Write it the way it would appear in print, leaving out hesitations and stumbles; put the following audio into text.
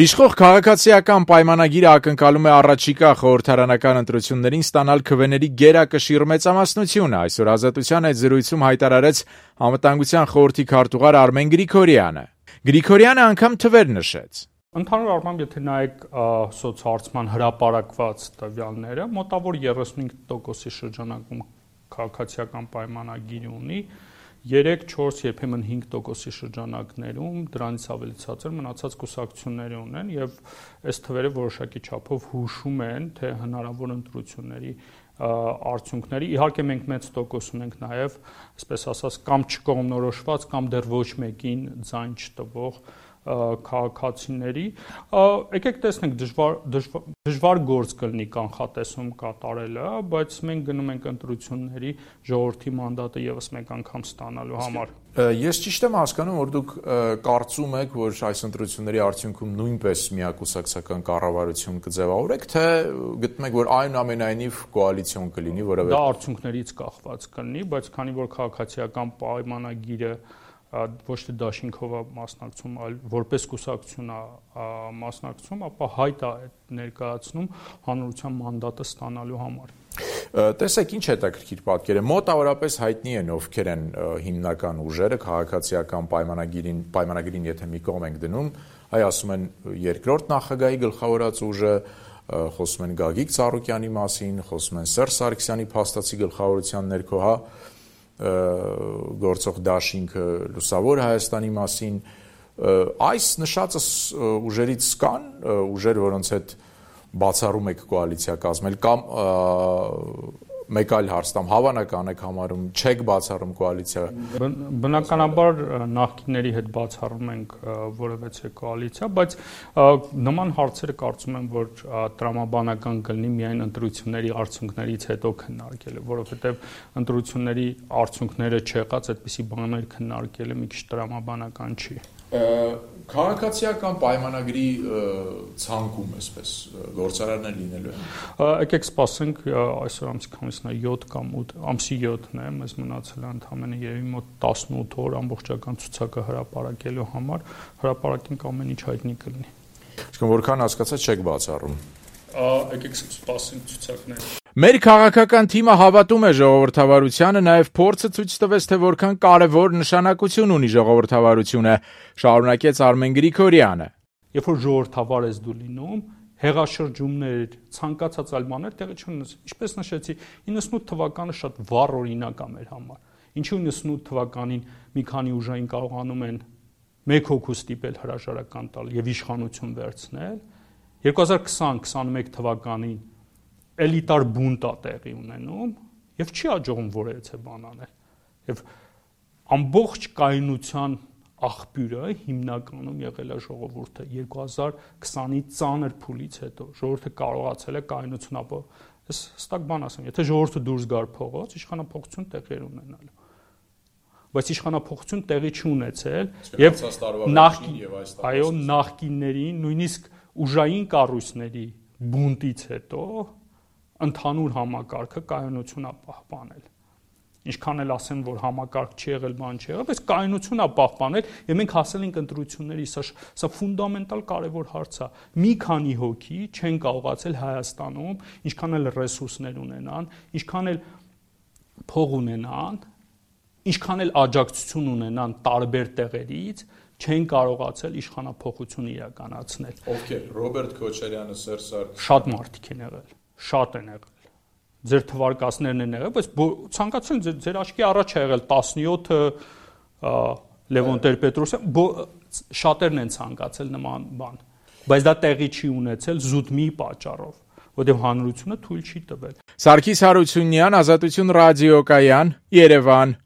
Իշխող քաղաքացիական պայմանագիրը ակնկալում է առաջիկա խորհրդարանական ընտրություններին ստանալ քվեների գերակշիռ մեծամասնությունը, այսօր Ազատության այդ զրույցում հայտարարեց Անվտանգության խորհրդի քարտուղար Արմեն Գրիգորյանը։ Գրիգորյանը անգամ թվեր նշեց. Ընդհանուր առմամբ, եթե նայեք սոցհարցման հրապարակված տվյալները, մոտավոր 35%-ի շրջանակում քաղաքացիական պայմանագիր ունի, 3-4, երբեմն 5%-ի շրջանակներում դրանից ավելի ցածր մնացած կուսակցություններ ունեն եւ այս թվերը որոշակի չափով հուշում են, թե հնարավոր ընտրությունների արդյունքների։ Իհարկե մենք մեծ տոկոս ունենք նաեւ, այսպես ասած, կամ չկողմնորոշված, կամ դեռ ոչ մեկին ձայն չտվող քաղաքացիների, եկեք տեսնենք դժվար գործ կլինի կանխատեսում կատարելը, բայց մենք գնում ենք ընտրությունների ժողովրդի մանդատը եւս մեկ անգամ ստանալու համար։ Ես ճիշտ եմ հասկանում, որ դուք կարծում եք, որ այս ընտրությունների արդյունքում նույնպես միակուսակցական կառավարություն կձևավորեք, թե գտնում եք, որ այնուամենայնիվ կոալիցիոն կլինի, որովհետեւ դա արդյունքներից կախված կլինի, բայց քանի որ քաղաքացիական պայմանագիրը ոչ թե դաշինքով է մասնակցում, այլ որպես կուսակցություն է մասնակցում, ապա հայտ է ներկայացնում հանրության մանդատը ստանալու համար։ Տեսեք, ինչ հետաքրքիր պատկեր է, մոտավորապես հայտնի են ովքեր են հիմնական ուժերը քաղաքացիական պայմանագիրին եթե մի կողմ ենք դնում, այ ասում են երկրորդ նախագահի գլխավորած ուժը, խոսում են Գագիկ Ծառուկյանի մասին, խոսում են Սերժ Սարգսյանի փաստացի գլխավորության ներքո, գործող դաշինքը Լուսավոր Հայաստանի մասին, այս նշածը ուժերից կան ուժեր, որոնց հետ բացառում եք կոալիցիա կազմել, կամ մեկ այլ հարց տամ, հավանական եք համարում, չեք բացառում կոալիցիա։ Բնականաբար նախկինների հետ բացառում ենք որևէ կոալիցիա, բայց նման հարցերը կարծում եմ, որ տրամաբանական կլինի միայն ընտրությունների արդյունքներից հետո քննարկելը, որովհետև ընտրությունների արդյունքները չեղած այդպիսի բաներ քննարկելը մի քիչ տրամաբանական չի։ Քաղաքացիական պայմանագրի ցանկում այսպես գործարանն է լինելու է։ Եկեք սպասենք, այսօր ամսի քանիսն է 7 կամ 8, ամսի 7-ն է, մեզ մնացել է ընդամենը երևի մոտ 18 օր ամբողջական ցուցակը հրապարակելու համար, հրապարակենք ամեն ինչ հայտնի կլինի։ Իսկ որքան հասկացած չեք բացառում։ Եկեք սպասենք ցուցակները։ Մեր քաղաքական թիմը հավատում է ժողովրդավարությանը, նաև փորձը ցույց տվեց, թե որքան կարևոր նշանակություն ունի ժողովրդավարությունը, շարունակեց Արմեն Գրիգորյանը։ Երբ որ ժողովրդավար ես դու լինում, հեղաշրջումներ, ցանկացած այլ բաներ տեղի չունեն։ Ինչպես նշեցի, 98 թվականը շատ վառ օրինակ է մեր համար։ Ինչու 98 թվականին մի քանի ուժային կարողանում են մեկ հոգու ստիպել հրաժարական տալ եւ իշխանություն վերցնել, 2020-21 թվականին էլիտար բունտ է տեղի ունենում եւ չի աջողում որևէ բան անել։ Եվ ամբողջ կայունության աղբյուրը հիմնականում եղել է ժողովուրդը 2020-ի ծանր փուլից հետո ժողովուրդը կարողացել է կայունություն ապահովել։ Ես հստակ բան ասեմ, եթե ժողովուրդը դուրս գար փողոց, իշխանապողություն տեղի էր ունենալու։ Բայց իշխանապողություն տեղի չունեցել եւ նախկիններին, նույնիսկ ուժային կառույցների բունտից հետո ընդհանուր համակարգը կայունություն է պահպանել։ Ինչքան էլ ասեն, որ համակարգ չի եղել, բան չի եղել, բայց կայունություն է պահպանել եւ մենք հասել ենք ընտրությունների, սա ֆունդամենտալ կարևոր հարց է։ Մի քանի հոգի չեն կարողացել Հայաստանում, ինչքան էլ ռեսուրսներ ունենան, ինչքան էլ փող ունենան, ինչքան էլ աջակցություն ունենան տարբեր տեղերից, չեն կարողացել իշխանափոխություն իրականացնել։ Ովքեր Ռոբերտ Քոչարյանը, Սերժ Սարգսյանը, շատ մարդիկ են եղել, շատ են եղել։ Ձեր թվարկածներն են եղել, բայց ցանկացել ձեր աչքի առաջ է եղել 17-ը Լևոն Տեր-Պետրոսյան, շատերն են ցանկացել նման բան, բայց դա տեղի չի ունեցել զուտ մի պատճառով, որտեղ հանրությունը թույլ չի տվել։ Սարգիս Հարությունյան, Ազատություն ռադիոկայան, Երևան։